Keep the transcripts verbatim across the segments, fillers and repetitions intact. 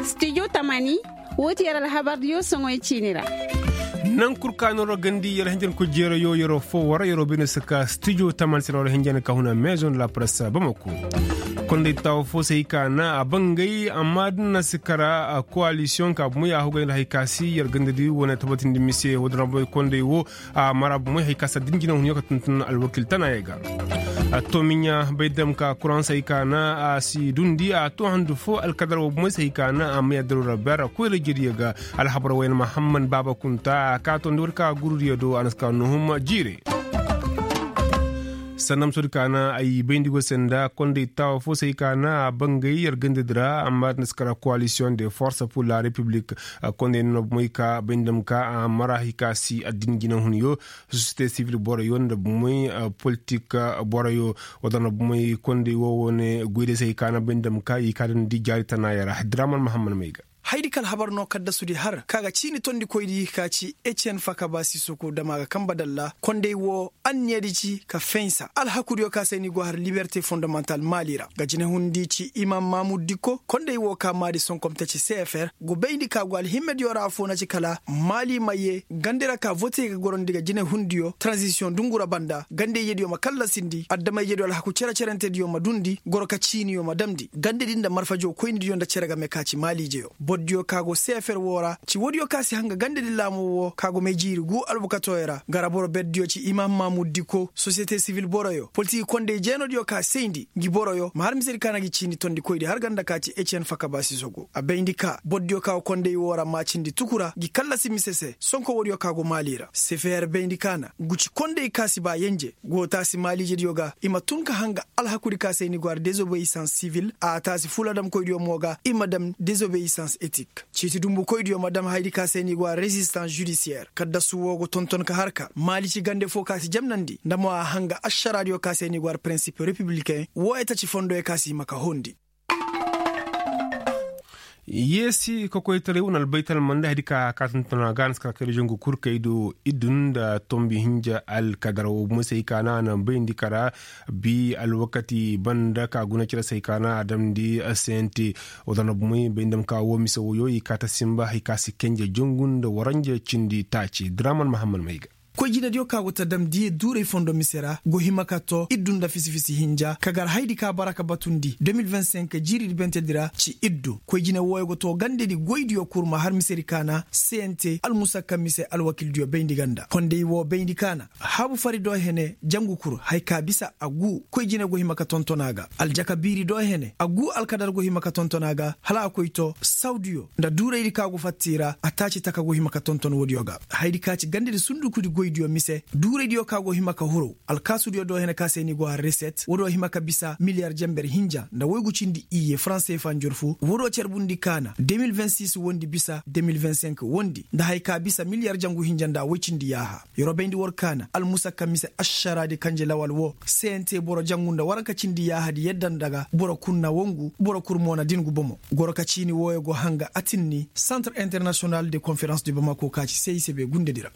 Studio tamani, woo ti yer alhabardiyo soŋoy ciini ra. Naŋ kul ka nooroo gandi yer hinjankoy jeerayo yeroo foo war yeroo bay no si ka studio tamani se na war hinjan ka huna maison de la presse bamako. Konday taawo foo se hay ka na a bangay amma da na si kara, kowalisiyoŋ ka bumay a hugay nda hay ka si yer gandadi wane tabatindi mise woo da na bumay konday woo. A mara bumay hay ka si a din jinahunyo ka tuntun alwakil tanaayey ga. Toomiɲa bay dam ka kuraŋ se hay ka na a si dundi a too handu foo alkadar woo bumay se hay ka na a may addaru ra beera koyra jediyo ga. Alhabar wayna mahamman baaba kunta a ka toondi war ka gurudiyo do a na si ka nuhum jiire. Sanda ma soodi ka na ay bayndi go se nda konday taawo foo se hay ka na a bangay yer gandadi ra amma da na si kara kowalisiyoŋ de forse pur la repiblik. Konday no na bumay ka bay nda ma ka a mara hay ka si addin jinahunyo. Sosiyete sivil boroyo nda bumay politik boroyo. Wala na bumay konday woo wane goyday se hay ka na bay nda ma ka i ka dandi jaari tanaaya ra diraman mahamman may ga. Haydi ka alhabar no kaddasudi har ka ga ciini tondikoydi ka ci ecen fakaba sisoko dama ga kanba dalla konday woo anniyadi ci ka fensa alhakudiyo ka se ni go har liberte fondamantal maali ra ga jinehundi ci imam mamud dikko konday woo ka maadi sonkom taci cfr go bayndi ka go alhimmediyo ra afoo na ci kala maali ma yee gandi ra ka vote ga gorondi ga jinehundiyo transisiyoŋ dungu ra banda gandey yediyo ma kallasindi adama yediyo alhaku cere-cerentediyo ma dundi goro ka ciiniyo ma damndi gandedi nda marfajo koynidiyo nda cere game ka ci maaliijeyo bordiyo ka go cfr woo ra ci woodiyo ka si hanga gandedi laamoo woo ka go may jiiri guu albukatooyo ra gara boro berdiyo ci imam mamud dikko sosiyete sivil boroyo politik kondey jeenodiyo ka sayndi ngi boroyo ma har misedi ka na gi ciini tondikoydi har ganda ka ci ecen fakaba sisogo a bayndi ka bordiyo ka go kondey woo ra maacindi tuku ra ngi kallasi mise se sonko woodiyo ka go maali ra cfr bayndi ka na ngu ci kondey ka si ba yenje go taasi maaliijediyo ga i ma tun ka hanga alhakudi ka se ni go har desobeyisans sivil a taasi fuladamkoydiyo mo ga i ma dam desobeyisans etik ciiti dumbukoydiyo ma dam hayadi ka se ni go har rezistans judisiyer kaddasu woo go tonton ka har ka maali ci gande foo ka si jamnandi nda mo a hanga ašaraadiyo ka se ni go har pirinsip repibilikeŋ woo etaci fondoyo ka si hima ka hondi. Yeesi kokoytaray wane albaytalmanda hayadi ka ka tuntuna ga a na si kara kayda zangu kul kaydo iddu nda tombi hinja alkadar woo bumey se hay ka na a na bayndi kara bi alwakati banda ka guna cire se hay ka na a damndi sente. Wala na bumey bayndi ma ka woo mise woyo i ka ta sinba hay ka si kenje zangu nda waranja cindi taaci draman mahamman may ga. Koy jinediyo ka go ta dam diya duuray fondo mise ra go hima ka to iddu nda fisi-fisi hinja ka gar haydi ka bara ka batundi de mil vingt cinq jiiridi bentedi ra ci iddu koy jine wooyo go to gandedi goydiyo kul ma har misedi ka na cnt almusakka mise alwakildiyo bayndi ganda konday woo bayndi ka na habu fari do hene jangu kul haya ka bisa a gu koy jine go hima ka tonton a ga aljaka biiri do hene a gu alkadar go hima ka tonton a ga hala a koy to sawdiyo nda duuraydi ka go fatta i ra a taaci taka go hima ka tonton woodiyo ga hayadi ka ci gandedi sundukudi goydiyo mise duuraydiyo ka go hima ka huru alkaasudiyo do hene ka se ni go har reset woodiyo hima ka bisa miliyar jenber hinja nda woygu cindi iyye faranse fa njorfu woodiyo carbundi ka na de mil vingt six wondi bisa de mil vingt cinq wondi nda haya ka bisa miliyar jangu hinja nda woy cindi yaaha yeroo bayndi war ka na almusakka mise ašaraadi kanje lawal woo cnt boro jangu nda waranka cindi yaahadi yadda nda ga boro kul na wangu boro kul mo na dingu bomo goro ka ciini wooyo go hanga atinni santre internasiyonal de konferans de bamako ka ci cicb gundedi ra.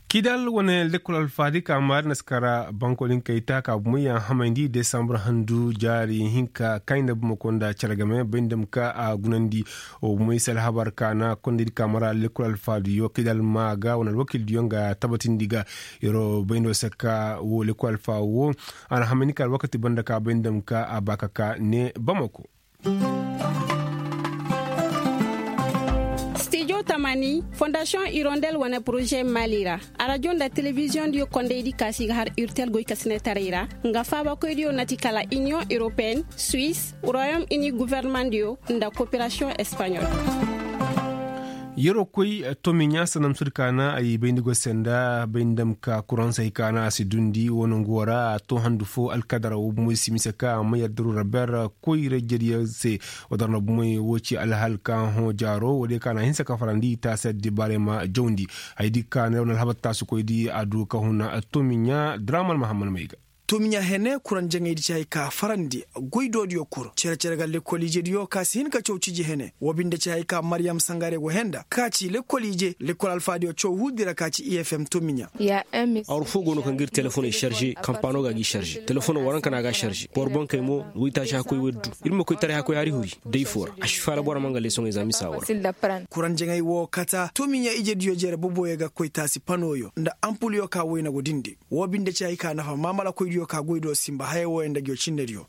Kidal wane lekkol alfaadi ka maari na si kara bankolinkey ta ka bumey a hamayndi desambar handu jaari hinka kayna bumako nda cere game bay nda ma ka a gunandi. Wo bumey si alhabar ka na kondaydi ka mara lekkol alfaadiyo kidal ma ga wane alwakildiyo nga tabatindi ga. Yeroo bay no se ka wo lekkol alfa wo a na hamayndi ka alwakati banda ka bay nda ma ka a ba ka ka ne bamako. Studio tamani fondasiyoŋ irondel wane poroze mali ra arajo nda telebiziyoŋ diyo kondaydi ka si ga har urtel goy ka sine taray ra nga faabakoydiyo na ti kala iniyoŋ europeyenne, suisse, royaume uni, governemandiyo nda koperasiyoŋ espaɲol. Yeroo koy tomiɲa sanam sodi ka na ay bayndi go se nda bay nda ma ka kuraŋ se hay ka na a si dundi wo nangu wo ra a to handu fo alkadara wo bomoy si mise ka a ma yaddaru ra ber koyra jediyaŋ se. Wa dar na bomoy wo ci alhal ka hõ jaaro wo day ka na hinsa ka farandi i taasi addibaarey ma jawndi. Hay di ka na yaw na alhabar taasikoydi a du ka huna tomiɲa draman mahamman may ga. Tomiɲa hene kuraŋ jaŋaydi ci hay ka farandi goy doodiyo kul cere-cere ga lekkol ijediyo ka si hin ka caw ciji hene wo binde ci hay ka mariyam sangare go henda ka ci lekkol ije lekkol alfaadiyo caw huudi ra ka ci efm tomiɲa. Awru foo go no kaŋ ga ir telefoney sarze kampaano ga g'i sarze telefono waranka no a ga sarze boro bonkey mo waytaaci hakkoy waddu. Ir ma koy taray hakkoy hari huri day foo ra a si faala boro ma nga leesoŋey za misa wo ra. Kuraŋ jaŋay wo kata tomiɲa ijediyo jere boboyo ga koy taasi panoyo nda ampulyo ka wayna go dindi. Woo binde ci hay ka nafa maamalakoydiyo ka goydiyo sinba hayey wooyaŋ nda nguyo cinnediyo.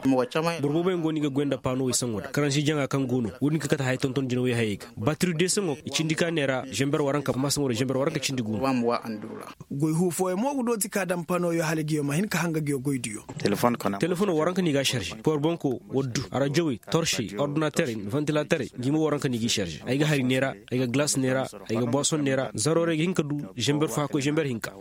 Boro booboyaŋ go no i ga goy nda paanowey saŋo nda karansi jaŋa kaŋ go no wo-din ka kate haya tonton jinawey hayey ga. Batiri deesaŋo i cindi ka neera zember waranka amma saŋo nda zember waranka cindi go no. Goy huu fooyaŋ mo ga dooti ka daŋ paanowyo hala nguyo ma hin ka hanga nguyo goydiyo. Telefono waranka no i ga a sarze power banko waddu arajawey torsey ordinaterey nda vantilaterey ngi mo waranka no i g'i sarze ay ga hari neera, ay ga galas neera, ay ga boison neera zarorey ga hin ka du zember fo hakkoy zember hinka.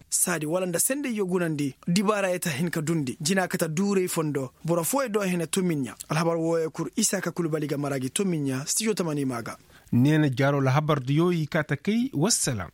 Saadi wala nda sendey yo gunandi dibaarayey ta hin ka dundi jina kate duurey fondo boro fooyey do hene tomiɲɲa. Alhabar wooyey kul isa ka kul bali ga mara gi tomiɲɲa stijo tamani maa ga. Neena jaaro alhabar diyo i kaa ta kay wassalam.